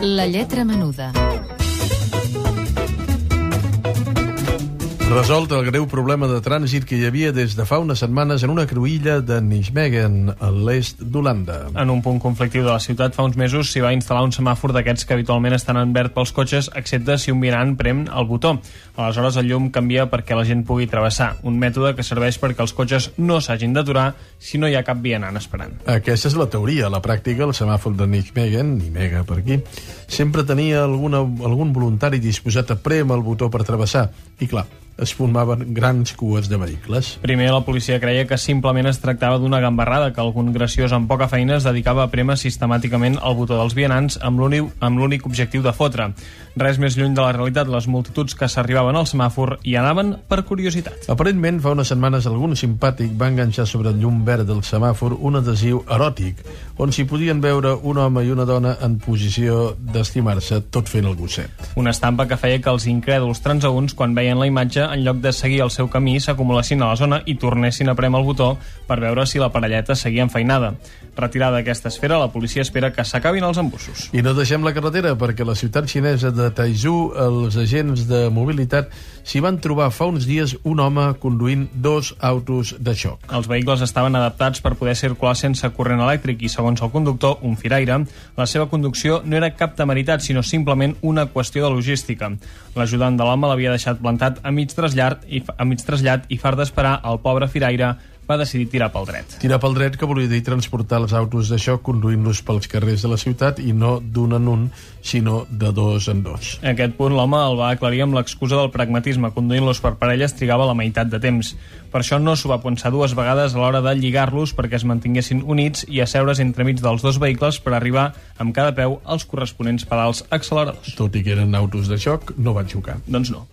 La lletra menuda. Resolt el greu problema de trànsit que hi havia des de fa unes setmanes en una cruïlla de Nijmegen, a l'est d'Holanda. En un punt conflictiu de la ciutat fa uns mesos s'hi va instal·lar un semàfor d'aquests que habitualment estan en verd pels cotxes, excepte si un vianant prem el botó. Aleshores el llum canvia perquè la gent pugui travessar, un mètode que serveix perquè els cotxes no s'hagin d'aturar si no hi ha cap vianant esperant. Aquesta és la teoria. A la pràctica, el semàfor de Nijmegen, Nimega per aquí, sempre tenia algun voluntari disposat a prémer el botó per travessar. I clar, es formaven grans cues de vehicles. Primer la policia creia que simplement es tractava d'una gambarrada, que algun graciós amb poca feina es dedicava a prémer sistemàticament el botó dels vianants amb l'únic objectiu de fotre. Res més lluny de la realitat, les multituds que s'arribaven al semàfor hi anaven per curiositat. Aparentment, fa unes setmanes algun simpàtic va enganxar sobre el llum verd del semàfor un adhesiu eròtic, on s'hi podien veure un home i una dona en posició d'estimar-se, tot fent el gosset. Una estampa que feia que els incrèduls transeünts, quan veien la imatge, en lloc de seguir el seu camí, s'acumulessin a la zona i tornessin a prémer el botó per veure si la parelleta seguia enfeinada. Retirada aquesta esfera, la policia espera que s'acabin els embussos. I no deixem la carretera, perquè a la ciutat xinesa de Taizhou, els agents de mobilitat s'hi van trobar fa uns dies un home conduint 2 autos de xoc. Els vehicles estaven adaptats per poder circular sense corrent elèctric i, segons el conductor, un firaire, la seva conducció no era cap temeritat, sinó simplement una qüestió de logística. L'ajudant de l'home l'havia deixat plantat a mig trasllat i far d'esperar, el pobre firaire va decidir tirar pel dret. Tirar pel dret, que volia dir transportar els autos de xoc conduint-los pels carrers de la ciutat i no d'un en un, sinó de 2 en 2. A aquest punt l'home el va aclarir amb l'excusa del pragmatisme. Conduint-los per parelles trigava la meitat de temps. Per això no s'ho va pensar 2 vegades a l'hora de lligar-los perquè es mantinguessin units i asseure's entremig dels 2 vehicles per arribar amb cada peu als corresponents pedals acceleradors. Tot i que eren autos de xoc, no van xocar. Doncs no.